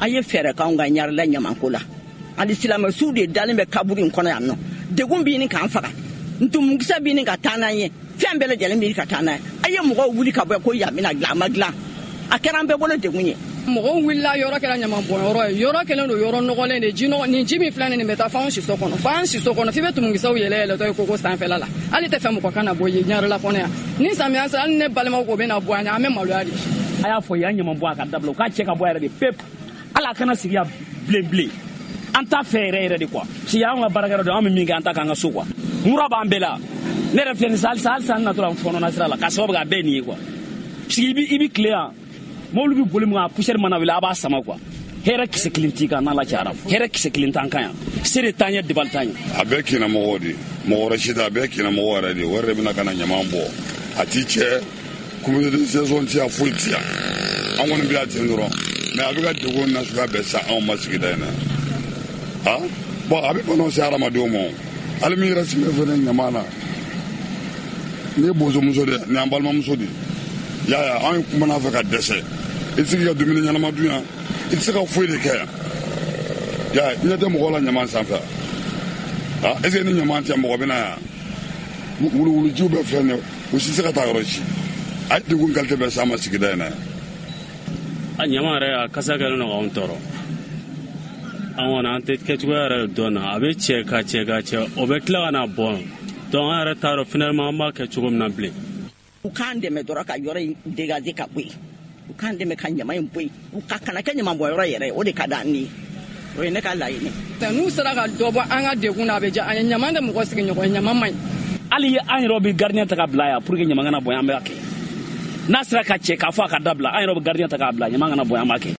A ye fɛɛrɛ k'anw ka Ɲarela ɲamanko la. Hali silamɛsuw de dalen bɛ kaburu in kɔnɔ yan nɔ. Degun b'i ni k'an faga, ntumukisɛ b'i ni ka taa n'an ye, fɛn bɛɛ lajɛlen b'i ka taa n'an ye. A ye mɔgɔw wuli ka bɔ ko yan bɛna dilan, a ma dilan, a kɛra an bɛɛ bolo degun ye. Mɔgɔw wulila, yɔrɔ kɛra ɲamanbɔnyɔrɔ ye, yɔrɔ kɛlen don yɔrɔ nɔgɔlen de. Ji nɔgɔ nin, ji min filɛ nin bɛ taa f'anw siso kɔnɔ, f'an siso kɔnɔ, f'i bɛ tumukisɛw yɛlɛ yɛlɛtɔ ye koko sanfɛla la. Hali tɛ fɛ mɔgɔ kana bɔ yen Ɲarela kɔnɔ yan. Ni samiya sera, hali ne balimaw ko bɛna bɔ an ɲɛ, an bɛ maloya de. A y'a fɔ yan ɲaman bɔ a ka dabila, u k'a cɛ ka bɔ yɛrɛ de pewu. Hali a kana sigi yan bilen bilen, an t'a fɛ yɛrɛ yɛrɛ de quoi, parce que y'anw ka baarakɛyɔrɔ de, an bɛ min kɛ, an ta k'an ka so quoi. Mura b'an bɛɛ la. Ne yɛrɛ filɛ nin sisan, halisa halisa n natɔ la, n fɔɔnɔ sira la, k'a sababu kɛ a bɛɛ ye nin ye quoi, parce que i bi tile yan, mobili bɛ boli mun kan, poussière mana wuli, a b'a sama quoi. Hɛrɛ kisɛ kelen t'i kan n'Ala cayara, hɛrɛ kisɛ kelen t'an kan yan, se de t'an ye, dabali t'an ye. A bɛɛ kinamɔgɔw de, mɔgɔ wɛrɛ si tɛ, a bɛɛ kinamɔgɔw yɛrɛ de. O yɛrɛ de bɛna ka na ɲaman bɔ, a t'i cɛ comité de gestion ti yan, foyi ti yan. An kɔni bɛ yan ten dɔrɔn, mais a bɛ ka degun nasuguya bɛɛ sa anw ma sigida in na. Ah bon, a bɛ banaw se hadamadenw ma. Hali min yɛrɛ sigilen fɛnɛ ɲaman na, nin ye bozomuso de ye, nin y'an balimamuso de ye. Y'a ye, anw kumana fɛ ka dɛsɛ. I tɛ se k'i ka dumuni ɲɛnama dun yan, i tɛ se ka foyi de kɛ yan. Y'a ye, ɲɛ tɛ mɔgɔw la ɲaman sanfɛ. Ah, est ce que ni ɲaman tɛ, mɔgɔ bɛ na yan? Wuluwulujiw bɛɛ filɛ nin ye, u si tɛ se ka taa yɔrɔ si. A ye degun qualité bɛɛ s'an ma sigida in na yan. A ɲama yɛrɛ, a kasa kɛlen don k'anw tɔɔrɔ. An kɔni, an tɛ kɛcogoya yɛrɛ dɔn na. A bɛ cɛ ka cɛ ka cɛ, o bɛ tila ka na bɔn. Donc an yɛrɛ t'a dɔn finalement an b'a kɛ cogo min na bilen. U k'an dɛmɛ dɔrɔn ka yɔrɔ in dégager ka bɔ yen. U k'an dɛmɛ ka ɲama in bɔ yen, u ka kana kɛ ɲamanbɔnyɔrɔ yɛrɛ ye. O de ka d'an ye, o ye ne ka laɲini. N'u sera ka dɔ bɔ an ka degun na, a bɛ diya an ye. Ɲaman tɛ mɔgɔ sigiɲɔgɔn ye, ɲaman man ɲi. Hali an yɛrɛ bɛ gardien ta ka bila yan pour que ɲaman kana bɔn, an b'a kɛ. N'a sera ka cɛ k'a fɔ a ka dabila, an yɛrɛ bɛ gardien ta k'a bila, ɲaman kana bɔn, an b'a kɛ.